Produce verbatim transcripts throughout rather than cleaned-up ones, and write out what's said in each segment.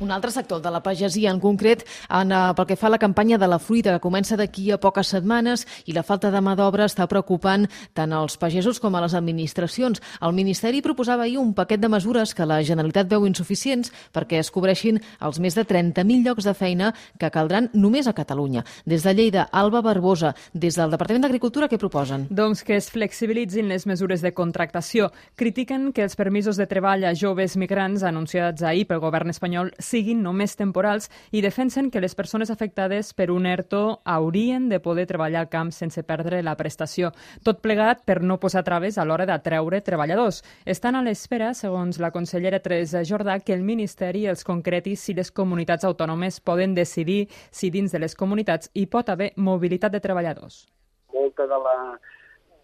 Un altre sector de la pagesia, en concret, en, uh, pel que fa a la campanya de la fruita, que comença d'aquí a poques setmanes, i la falta de mà d'obra està preocupant tant als pagesos com a les administracions. El Ministeri proposava ahir un paquet de mesures que la Generalitat veu insuficients perquè es cobreixin els més de trenta mil llocs de feina que caldran només a Catalunya. Des de Lleida, Alba Barbosa, des del Departament d'Agricultura, què proposen? Doncs que es flexibilitzin les mesures de contractació. Critiquen que els permisos de treball a joves migrants anunciats ahir pel govern espanyol siguin només temporals i defensen que les persones afectades per un ERTO haurien de poder treballar al camp sense perdre la prestació. Tot plegat per no posar traves a l'hora d'atreure treballadors. Estan a l'espera, segons la consellera Teresa Jordà, que el Ministeri els concreti si les comunitats autònomes poden decidir si dins de les comunitats hi pot haver mobilitat de treballadors. Molta de la,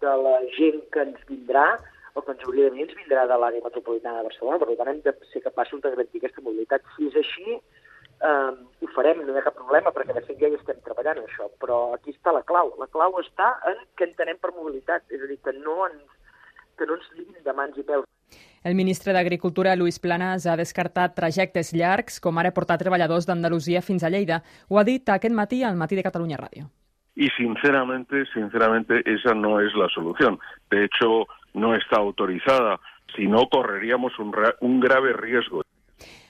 de la gent que ens vindrà o que ens hauria de venir ens vindrà de l'àrea metropolitana de Barcelona, per tant hem de ser capaços de garantir aquesta mobilitat. Si és així, eh, ho farem, no hi ha cap problema, perquè de fet ja hi estem treballant en això, però aquí està la clau. La clau està en què entenem per mobilitat, és a dir, que no ens, que no ens liguin de mans i peus. El ministre d'Agricultura, Luis Planas, ha descartat trajectes llargs, com ara portar treballadors d'Andalusia fins a Lleida. Ho ha dit aquest matí al Matí de Catalunya Ràdio. Y sinceramente, sinceramente, esa no es la solución. De hecho, no está autorizada, si no correríamos un, un grave riesgo.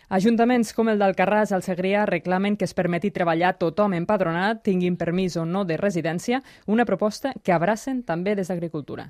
Ajuntaments com el d'Alcarràs al Segrià reclamen que es permeti treballar tothom empadronat, tinguin permís o no de residència, una proposta que abracen també des d'Agricultura.